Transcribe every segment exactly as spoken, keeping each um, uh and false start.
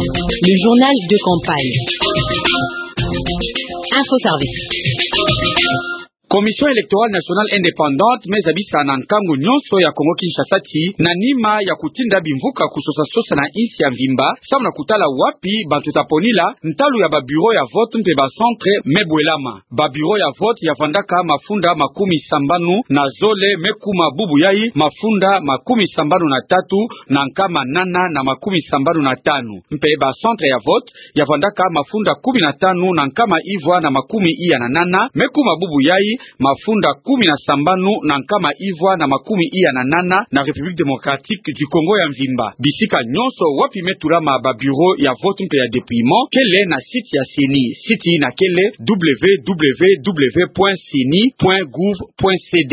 Le journal de campagne. Info Service. Commission électorale nationale indépendante me zabisa na nkangu nyonso ya Kongo-Kinshasa ti, na nima ya kutinda bimvuka kusosa-sosa na insi ya mvimba, samu na kutala wapi bantu ta ponila, ntalu ya ba bureau ya vote mpe ba centre me bwelama. Ba bureau ya vote ya vandaka mafunda makumi sambanu na zole me kuma bubu yai mafunda makumi sambanu na tatu na nkama nana na makumi sambanu na tanu. Mpe ba centre ya vote ya vandaka mafunda kumi na tanu na nkama ivwa na makumi iya na nana me kuma bubu yai mafunda kumi na sambanu na nkama ivwa na makumi iya na nana na République démocratique du Congo ya mvimba. Bisika nyonso wapi me tulama ba bureau ya vote mpe ya dépouillement kele na site ya CENI. Site ina kele www point ceni point gouv point cd.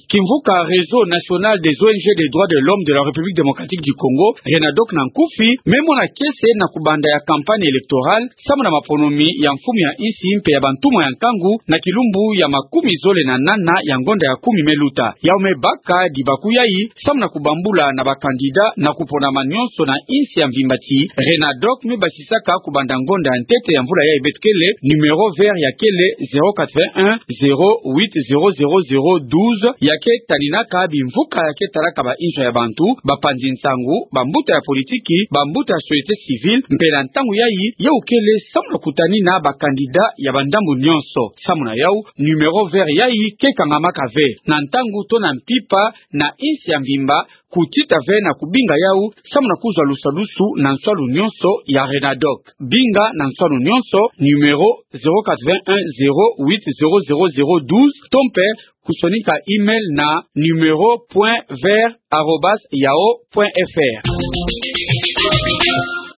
Kimvuka Réseau National des O N G des Droits de l'Homme de la République Démocratique du Congo, RENADOC na nkufi, me mona kiese na kubanda ya campagne électorale, samu na maponomi ya mfumu ya insi mpe ya bantumwa ya nkangu, na kilumbu ya makumi zole na nana ya ngonda ya kumi me luta. Yau me baka dibaku yai, samu na kubambula na ba candidat na kuponama nyonso na insi ya mvimba ti, RENADOC me basisaka kubanda ngonda ya ntete ya mvula yai beto kele, numéro vert ya kele zéro quatre-vingt-un, zéro huit, zéro zéro zéro douze, ya ke taninaka bimvuka ya ke talaka ba inzo ya bantu, ba panzi nsangu, ba mbuta ya politiki, ba mbuta ya société civile, mpe na ntangu yai, yau kele samu na kutanina ba candidat ya ba ndambu nyonso. Samu na yau, numéro vert yai ke kangamaka ve. Na ntangu to na mpimpa, na insi ya mvimba, kutita ve na kubinga yau, samu na kuzwa lusadusu na nswalu nyonso ya RENADOC. Binga na nswalu nyonso, numéro zéro quatre-vingt-un, zéro huit, zéro zéro zéro douze, to mpe kusonika email na numéro point vert arobase yahoo point F R.